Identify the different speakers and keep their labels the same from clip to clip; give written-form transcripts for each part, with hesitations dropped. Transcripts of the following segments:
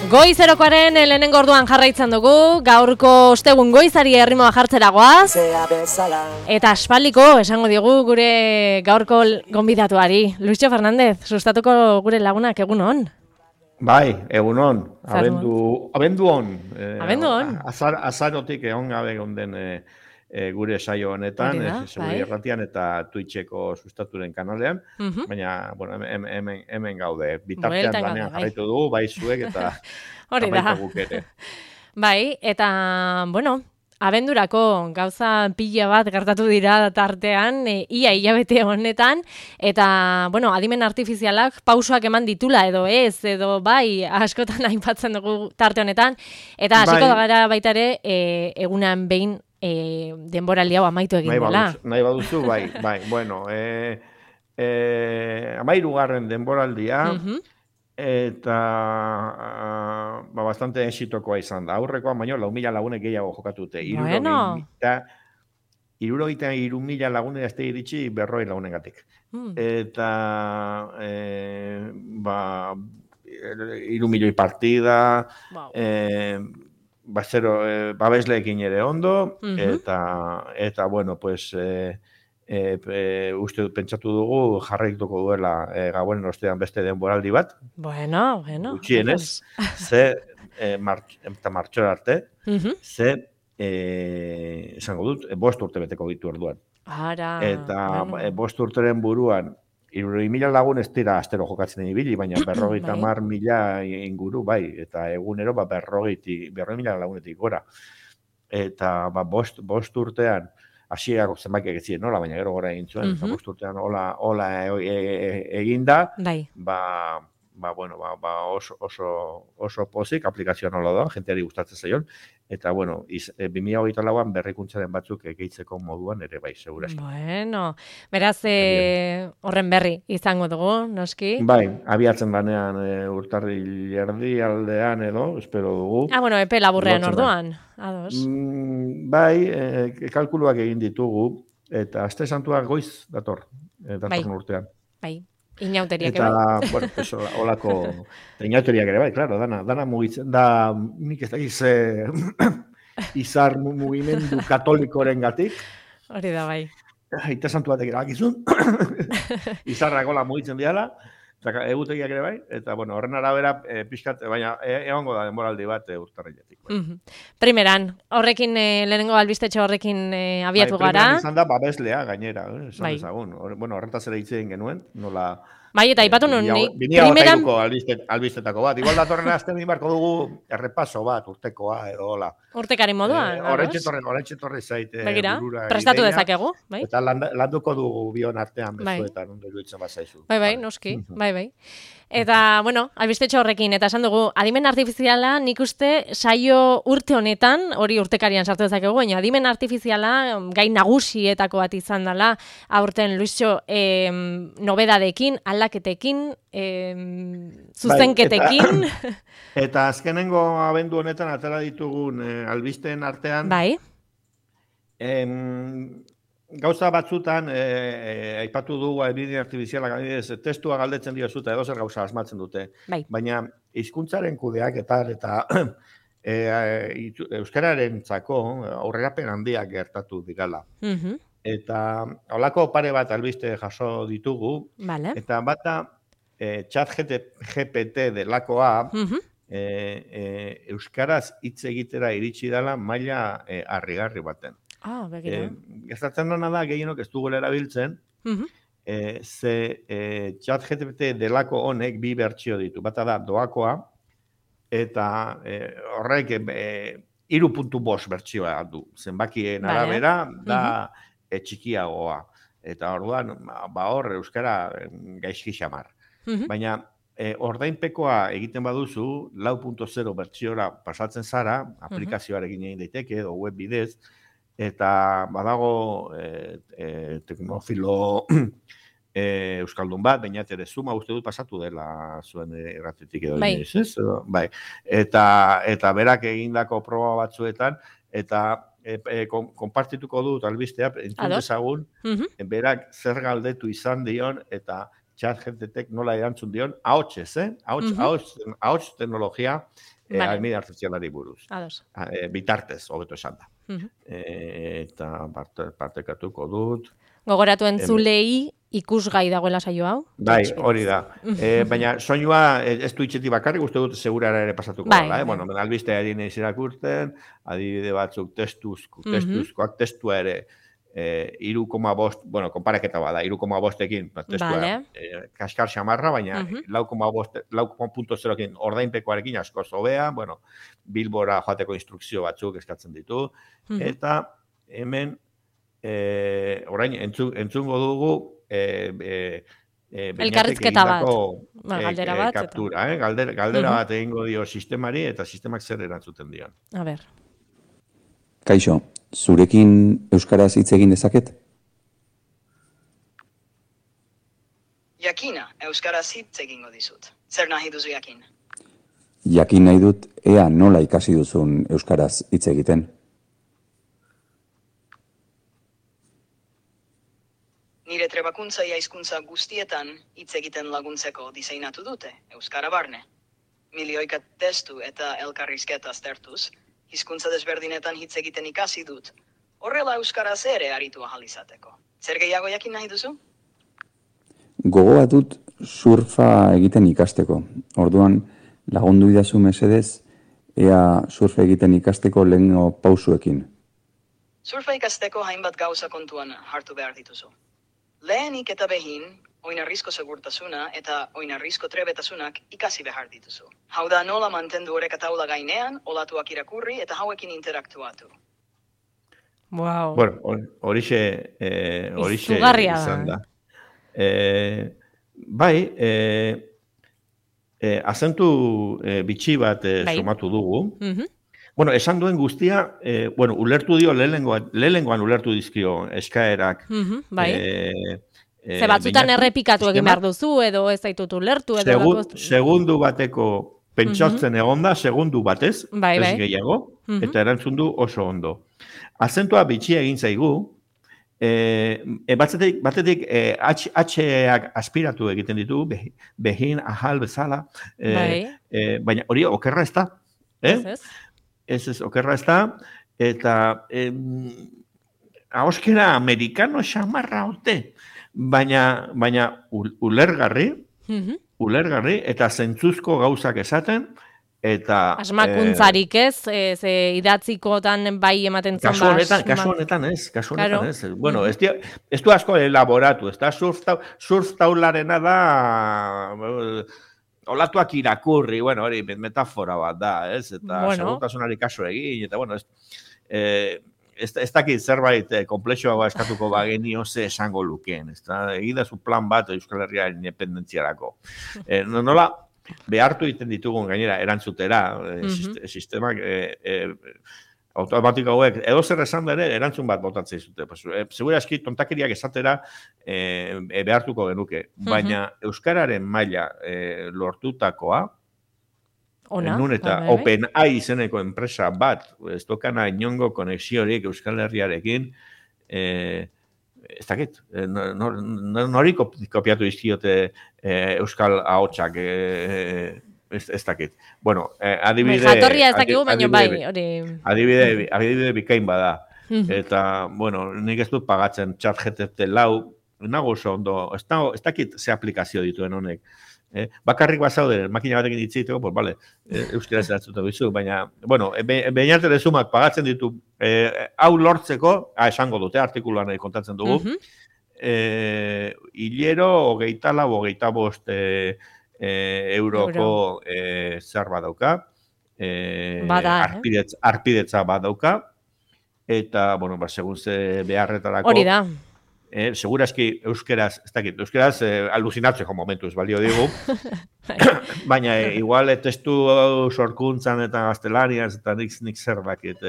Speaker 1: Goizerokoaren lehenengo orduan jarraitzen dugu, gaurko ostegun goizari errimoa jartzera goaz, eta aspaldiko esango digu gure gaurko gonbidatuari. Luisio Fernández, sustatuko gure lagunak egun on?
Speaker 2: Bai, egun on, abendu on.
Speaker 1: Abendu on.
Speaker 2: Azarotik egon gabe gonden gure saio honetan, Seguri Erratian eta Twitcheko sustaturen kanalean, baina, bueno, hemen gaude, bitartean lanean jarraitu dugu, bai zuek eta jarraitu guk ere.
Speaker 1: Bai, eta, bueno, abendurako gauza pila bat gertatu dira tartean, ia hilabete honetan, eta, bueno, adimen artifizialak pausoak eman ditula edo ez, edo bai, askotan aipatzen dugu tarte honetan, eta hasiko gara baita ere, egunan behin denboraldi hau amaitu egin dela.
Speaker 2: Nahi baduzu, bai, bueno, 13. denboraldia, eta bastante exitokoa izan da. Aurrekoa baino 4.000 lagunek gehiago jokatute.
Speaker 1: Bueno.
Speaker 2: 63.000 lagunek azte iritsi 40 lagunengatik. Eta 3 milioi partida, babesleekin ere ondo, eta bueno, pues uste pentsatu dugu jarraituko duela gauen ostean beste denboraldi bat.
Speaker 1: Bueno.
Speaker 2: Gutxienez, eta martxora arte, esango dut, 5 urte beteko ditu orduan. Eta 5 urteren buruan, 3.000 lagun ez dira astero jokatzen ibili, baina 50.000 inguru, bai, eta egunero 40.000 lagunetik gora. Eta 5 urtean, hasierako zenbakiak ez ziren nola, baina gero gora egin zuen, 5 urtean hola eginda, oso pozik, aplikazioa nola da, jenteari gustatzen zaion, eta, bueno, 2024an berrikuntzaren batzuk gehitzeko moduan ere bai, segurazki.
Speaker 1: Bueno, beraz, horren berri izango dugu, noski?
Speaker 2: Bai, abiatzen banean urtarril erdialdean edo, espero dugu.
Speaker 1: Bueno, epe laburrean orduan, ados.
Speaker 2: Bai, kalkuluak egin ditugu, eta aste santua goiz datorren urtean.
Speaker 1: Bai. Inauteriak ere
Speaker 2: bai. Eta, bueno, pues, olako inauteriak ere bai, claro, dana mugitzen, da nik ez dakiz izar mugimendu katolikoren gatik.
Speaker 1: Hori da bai.
Speaker 2: Aita santu batek erabakizun, izarrak hola mugitzen diala, egutegiak ere bai, eta, bueno, horren arabera pixkat, baina egongo da denboraldi bat urtarriletik.
Speaker 1: Primeran, horrekin, lehenengo albistetxo horrekin abiatu gara.
Speaker 2: Primeran izan da babeslea gainera, esan ezagun. Bueno, horretaz ere hitzen genuen, nola...
Speaker 1: Bai, eta ipatu nun,
Speaker 2: primeran... albistetako bat. Igual datorren azten barko dugu errepaso bat, urtekoa edo hola.
Speaker 1: Urtekari moduan,
Speaker 2: Horretxe torre zaite.
Speaker 1: Begira, prestatu dezakegu.
Speaker 2: Eta landuko dugu bion artean bezuetan, ondo iruditzen bazaizu.
Speaker 1: Bai, noski, bai. Eta, bueno, albistetxo horrekin, eta esan dugu, adimen artifiziala nik uste saio urte honetan, hori urtekarian sartu dezakegu, baina adimen artifiziala gai nagusietako bat izan dela, aurten Luisio nobedadekin, aldaketekin, zuzenketekin.
Speaker 2: Eta azkenengo abendu honetan atera ditugun albisteen artean, gauza batzutan, aipatu dugu adibide artifizialak, testua galdetzen diozuta, edo zer gauza asmatzen dute. Baina hizkuntzaren kudeaketan eta euskararentzako aurrerapen handiak gertatu digala. Eta holako pare bat albiste jaso ditugu, eta bata ChatGPT delakoa, euskaraz hitz egitera iritsi dela maila harrigarri baten. Gertatzen dena da, gehienok ez dugula erabiltzen, ze ChatGPT delako honek 2 bertsio ditu. Bata da doakoa, eta horrek 3.5 bertsioa du. Zenbakien arabera da txikiagoa. Eta orduan, hor euskara gaizki xamar. Baina ordainpekoa egiten baduzu, 4.0 bertsiora pasatzen zara, aplikazioarekin egin daiteke edo web bidez, eta badago teknofilo euskaldun bat, baina ere Zuma uste dut pasatu dela zuen erratetik edo. Bai. Eta berak egindako proba batzuetan, eta konpartituko dut albistea, entzun dezagun, berak zer galdetu izan dion, eta ChatGPTek nola erantzun dion, ahotsez, ahots teknologia, adibide artifizialari buruz.
Speaker 1: Ados.
Speaker 2: Bitartez, hobeto esan da. Eta partekatuko dut.
Speaker 1: Gogoratu entzulei ikusgai dagoela saio hau.
Speaker 2: Bai, hori da. Baina soinua ez du itxetik bakarrik, uste dut segurara ere pasatuko dela. Bueno, albisteari nahiz irakurten, adibide batzuk testuzkoak, testua ere 3,5, bueno, konpareketa bada, 3,5ekin testua kaskar xamarra, baina 4.0ekin ordainpekoarekin asko hobea, bueno, Bilbora joateko instrukzio batzuk eskatzen ditu, eta hemen orain entzungo dugu
Speaker 1: elkarrizketa bat, galdera bat,
Speaker 2: kaptura, galdera bat egingo dio sistemari eta sistemak zer erantzuten dion.
Speaker 1: A ber.
Speaker 3: Kaixo, zurekin euskaraz hitz egin dezaket?
Speaker 4: Jakina, euskaraz hitz egingo dizut. Zer nahi duzu jakin?
Speaker 3: Jakin nahi dut, ea nola ikasi duzun euskaraz hitz egiten.
Speaker 4: Nire trebakuntza hizkuntza guztietan hitz egiten laguntzeko diseinatu dute, euskara barne. Milioika testu eta elkarrizketa aztertuz, hizkuntza desberdinetan hitz egiten ikasi dut. Horrela euskaraz ere aritu ahal izateko. Zer gehiago jakin nahi duzu?
Speaker 3: Gogoa dut surfa egiten ikasteko. Orduan lagundu idazu mesedez, ea surfa egiten ikasteko lehengo pausuekin.
Speaker 4: Surfa ikasteko hainbat gauza kontuan hartu behar dituzu. Lehenik eta behin, oinarrizko segurtasuna eta oinarrizko trebetasunak ikasi behar dituzu. Hau da nola mantendu oreka taula gainean, olatuak irakurri eta hauekin interaktuatu.
Speaker 1: Wow.
Speaker 2: Bueno, horixe izan da. Bai, azentu bitxi bat sumatu dugu. Bueno, esan duen guztia, ulertu dio, lehenengoan ulertu dizkio eskaerak.
Speaker 1: Bai. Ze batzutan errepikatu egin behar duzu, edo ez zaitut ulertu, edo...
Speaker 2: Segundu bateko pentsatzen egonda, segundu batez, ez gehiago, eta erantzun du oso ondo. Azentua bitxia egin zaigu, batetik H-ak aspiratu egiten ditu, behin, ahal, bezala, baina hori okerra ez da, Ez, okerra ez da, eta ahoskera amerikano xamarra haute, baina ulergarri, eta zentzuzko gauzak esaten, eta...
Speaker 1: Asmakuntzarik ez, idatzikotan bai ematen zon ba...
Speaker 2: Kasu honetan ez. Bueno, ez du asko elaboratu, ez da surf taularena da... Olatuak irakurri, bueno, hori metafora bat da, ez? Eta segurtasunari kaso egin, eta bueno, ez dakit zerbait komplexoa eskatuko bagenio ze esango lukeen, ez da? Egidazu plan bat Euskal Herriaren independentziarako. Nola, behartu egiten ditugun gainera erantzutera, sistemak automatiko hauek, edo zer esan da ere, erantzun bat botatzen zute. Segura eski, tontakeriak esatera behartuko genuke. Baina Euskararen maila lortutakoa, nun eta OpenAI izeneko enpresa bat, ez dokana inongo konexiorik Euskal Herriarekin, ez dakit, nori kopiatu izkiote Euskal ahotsak, ez dakit. Bueno, adibide...
Speaker 1: Jatorria ez dakigu, baina bai, hori...
Speaker 2: Adibide bikain bada. Eta, bueno, nik ez dut pagatzen ChatGPT 4, nago oso ondo, ez dakit ze aplikazio dituen honek. Bakarrik bazaude, makina batekin ditziteko, pues vale, euskera zeratzuta bizu, baina, bueno, behinarte dezumak pagatzen ditu, hau lortzeko, esango dute, artikuluan kontatzen dugu, hilero, 24, euroko zer badauka, arpidetza badauka, eta, bueno, segun ze beharretarako...
Speaker 1: Hori da.
Speaker 2: Segurazki euskeraz, ez dakit, euskeraz alucinatzeko momentuz balio digu, baina igual testu sorkuntzan eta gaztelaniaz eta nik zer dakit,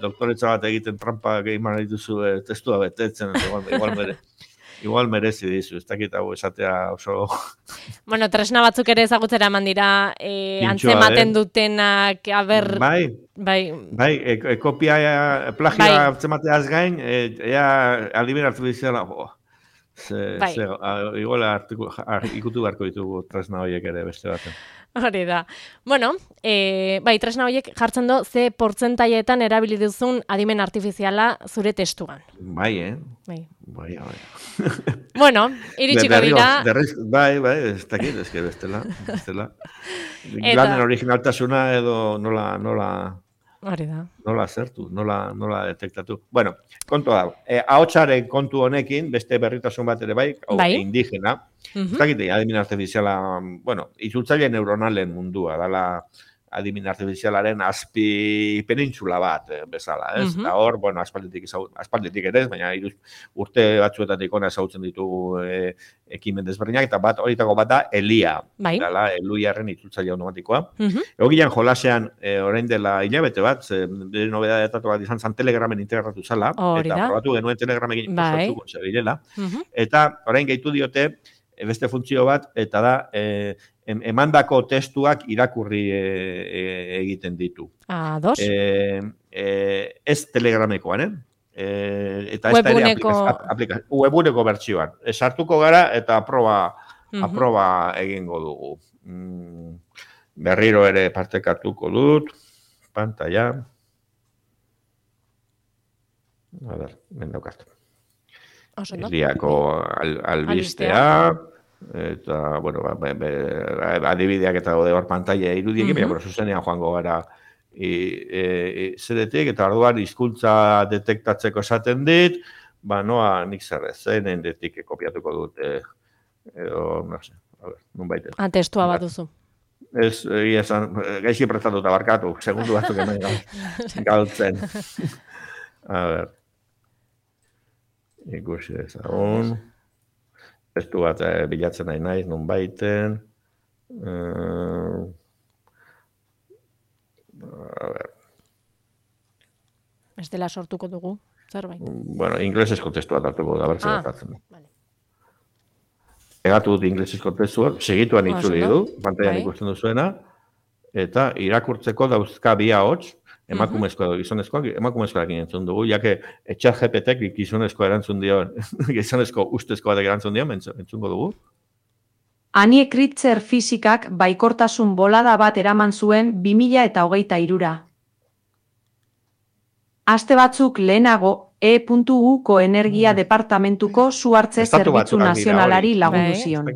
Speaker 2: doktoretza bat egiten trampa gehiman dituzu testua betetzen, igual merezi dizu, ez dakit hau esatea oso...
Speaker 1: Bueno, tresna batzuk ere ezagutzera eman dira, antzematen dutenak, aber...
Speaker 2: Bai, kopia, plagioa antzemateaz gain, ea adibin hartu dizela, Iguala ikutu beharko ditugu tresna horiek ere beste baten.
Speaker 1: Hori da. Bueno, tresna horiek jartzen du ze portzentaietan erabili duzun adimen artifiziala zure testuan.
Speaker 2: Bai.
Speaker 1: Bueno, iritsiko dira.
Speaker 2: Bai, ez dakit, bestela. Lanen originaltasuna edo nola
Speaker 1: hori da.
Speaker 2: Nola zertu, nola detektatu. Bueno, kontua da. Ahotsaren kontu honekin, beste berritasun bat ere bai, indigena. Ez dakit, adimen artifiziala, itzultzaile neuronalen mundua, dala adimen artifizialaren azpi penintzula bat bezala, ez? Eta hor, aspalditik ere ez, baina urte batzuetatik ona ezagutzen ditugu ekimen desberdinak, eta horietako bat da Elia, dala Eluiaren itzultzaile automatikoa. Egokian jolasean, orain dela hilabete bat, bere nobedadetatu bat izan zan Telegramen integratu zala, eta probatu genuen Telegramekin ikusatuko zebilela, eta orain gehitu diote beste funtzio bat, eta da emandako testuak irakurri egiten ditu.
Speaker 1: Ados.
Speaker 2: Ez Telegramekoan, eta ez da ere webuneko bertsioan. Sartuko gara eta aproba egingo dugu. Berriro ere partekatuko dut, pantalla. A ber, mendaukat. Eliako albistea, eta, adibideak eta gode hor pantalla irudiekin, baina zuzenean joango gara zeretik, eta orduan hizkuntza detektatzeko esaten dit, noa nik zerrezen, endetik kopiatuko dut, edo, nun baiten.
Speaker 1: Testua bat duzu.
Speaker 2: Ez, gaizki prestatuta barkatu, segundu batzuk hemen galtzen. A ber. Ikusi ezagun. Testu bat bilatzen nahi naiz, nun baiten.
Speaker 1: Ez dela sortuko dugu, zerbait.
Speaker 2: Inglesezko testu bat hartuko da, bertzen hartatzen. Egatu dut inglesezko testu bat, segituan itzuli du, pantailan ikusten duzuena, eta irakurtzeko dauzka bi ahots, emakumezkoa edo gizonezkoak, emakumezkoarekin entzun dugu, jake ChatGPTek gizonezko erantzun dio, gizonezko ustezko batek erantzun dio, entzungo dugu.
Speaker 5: Anie Kritzer fisikak baikortasun bolada bat eraman zuen 2023. Aste batzuk lehenago, E.U.ko Energia Departamentuko Su Hartze Zerbitzu Nazionalari lagundu zion.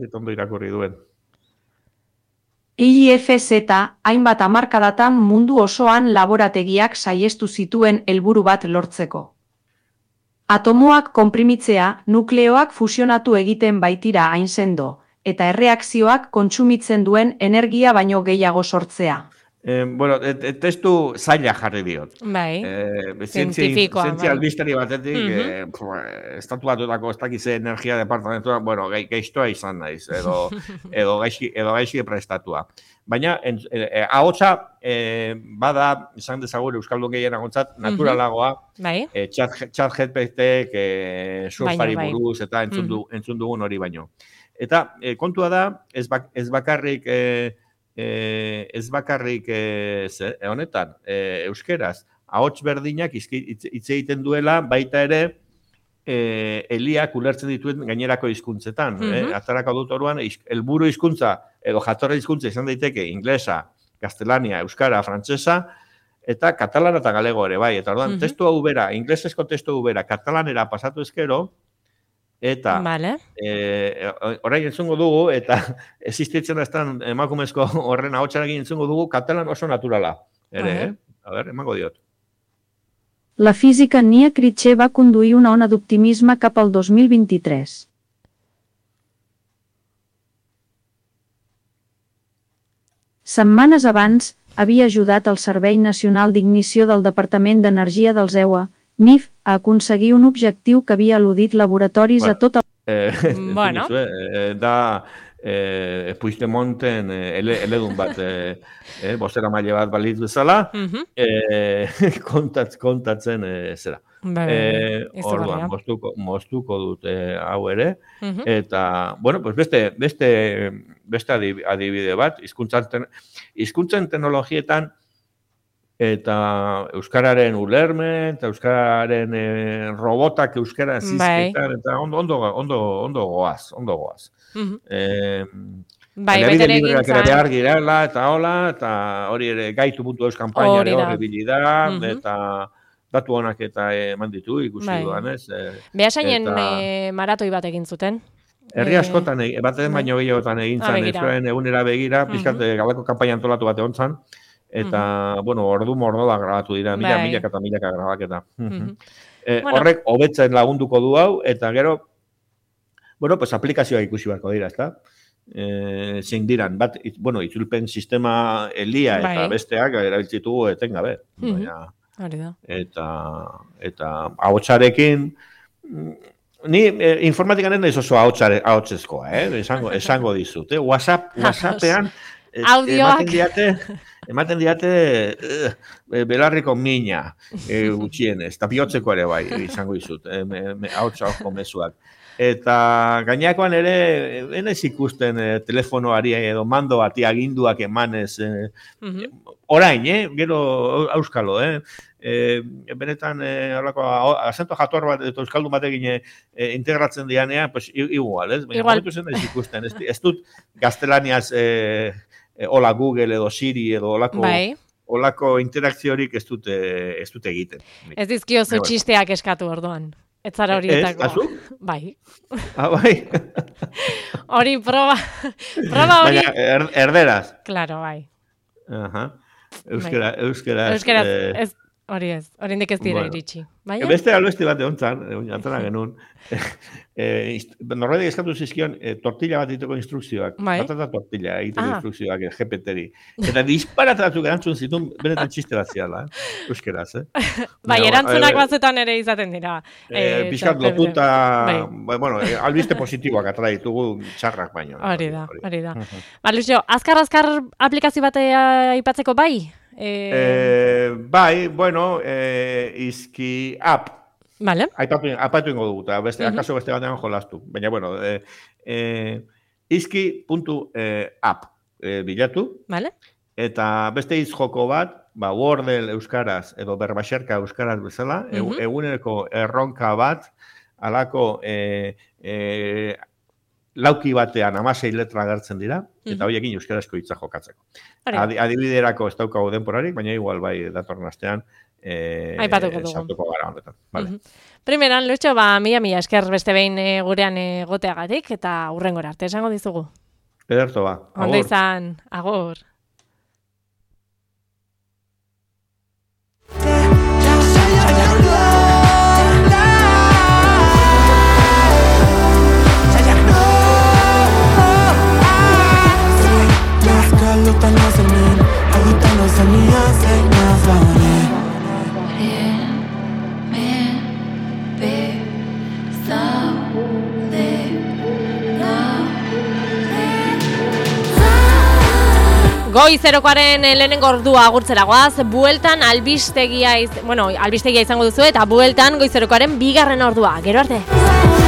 Speaker 5: IFZ hainbat hamarkadatan mundu osoan laborategiak saihestu zituen helburu bat lortzeko. Atomoak konprimitzea, nukleoak fusionatu egiten baitira hain sendo, eta erreakzioak kontsumitzen duen energia baino gehiago sortzea.
Speaker 2: Testu zaila jarri diot.
Speaker 1: Bai, zientifikoa.
Speaker 2: Zientzia albisteri batetik, estatu batutako ez dakize energia departamentua, gaiztoa izan naiz, edo gaizki prestatua. Baina, ahotsa bada, izan dezagur Euskaldun gehienagontzat, naturalagoa, ChatGPTek surfari buruz eta entzun dugun hori baino. Eta kontua da, ez bakarrik honetan, euskeraz, ahots berdinak hitz egiten duela, baita ere, Eliak ulertzen dituen gainerako hizkuntzetan. Atzarako dut oruan, helburu hizkuntza edo jatorri hizkuntza izan daiteke inglesa, gaztelania, euskara, frantsesa, eta katalana eta galego ere, bai. Eta orduan, testu hau bera, inglesezko testu hau bera, katalanera pasatu ezkero, eta orain entzungo dugu, eta existitzen aztan emakumezko horren ahotsarekin entzungo dugu, katalan oso naturala. Ere, a ber, emango diot.
Speaker 5: La física Nia Kritzer va conduir una ona d'optimisme cap al 2023. Setmanes abans, havia ajudat el Servei Nacional d'Ignició del Departament d'Energia dels EUA, NIF, a aconseguir un objectiu que havia al·ludit laboratoris a tot el...
Speaker 2: Da Puigdemonten eledun bat, bostera maile bat balitz bezala, kontatzen zera. Orduan, moztuko dute hau ere, eta, bueno, beste adibide bat, hizkuntzen teknologietan, eta euskararen ulermen, eta euskararen robotak euskara zizketan, eta ondo goaz.
Speaker 1: Bete
Speaker 2: egintzan. Behar girela, eta hola, eta hori ere gaitu.eus kampainare hori bilida, eta datu honak eta eman ditu, ikusi duan, ez?
Speaker 1: Behasainen maratoi bat egin zuten.
Speaker 2: Herri askotan, baten baino gehiagotan egin zan, euskararen egunera begira, pizkat gabeko kanpaina antolatu bat egon zan, eta, ordu-mordoa grabatu dira, milaka eta milaka grabaketa. Horrek, hobetzen lagunduko du hau, eta gero, aplikazioa ikusi beharko dira, ezta? Zein diran, bat, itzulpen sistema elia eta besteak erabiltzitugu etengabe. Eta ahotsarekin, ni informatikan ez naiz oso ahotsezkoa, esango dizut. WhatsAppean ematen diate belarriko mina gutxienez, eta bihotzeko ere bai, izango dizut, ahotsa mezuak. Eta gainakoan ere, enez ikusten telefonoari edo mando bati aginduak emanez, orain, gero auskalo, benetan, asento jator bat, eta euskaldun batekin integratzen dianean, pues igual, ez? Baina, zen ez ikusten, ez dut gaztelaniaz hola Google edo Siri edo olako interakziorik ez dut egiten.
Speaker 1: Ez dizkiozu txisteak eskatu orduan. Ez zara horietako.
Speaker 2: Ez, azuk?
Speaker 1: Bai.
Speaker 2: Bai.
Speaker 1: Hori proba hori.
Speaker 2: Baina, erderaz.
Speaker 1: Claro, bai.
Speaker 2: Euskaraz.
Speaker 1: Hori ez, oraindik ez dira iritsi.
Speaker 2: Beste albeste bat egontzan, antena genuen, norbaitek eskatu zizkion tortilla bat egiteko instrukzioak. Batata tortilla egiteko instrukzioak GPT-ri. Eta disparatatuk erantzun zituen benetan txiste bat ziala, euskeraz,
Speaker 1: Bai, erantzunak batzetan ere izaten dira.
Speaker 2: Bizkat lotuta, albiste positiboak atara ditugu txarrak baino.
Speaker 1: Hori da. Lucio, azkar aplikazio bat aipatzeko bai?
Speaker 2: Bai, izki app.
Speaker 1: Vale.
Speaker 2: Aipatu ingo dugu, eta akaso beste batean jolastu. Baina, izki.app bilatu.
Speaker 1: Vale.
Speaker 2: Eta beste joko bat, Wordle euskaraz edo berbaxerka euskaraz bezala, eguneko erronka bat, alako lauki batean 16 letra agertzen dira, eta horiekin euskarazko hitza jokatzeko. Adibiderako ez daukagu denporarik, baina igual bai datorren astean sartuko gara honetan.
Speaker 1: Primeran, Lucho, mila esker beste behin gurean egoteagatik, eta hurrengora arte esango dizugu.
Speaker 2: Ederto ba.
Speaker 1: Ondo izan, agur. Goi zerokoaren lehenengo ordua agurtzera goaz, bueltan albistegia izango duzu eta bueltan Goi zerokoaren bigarren ordua. Gero arte!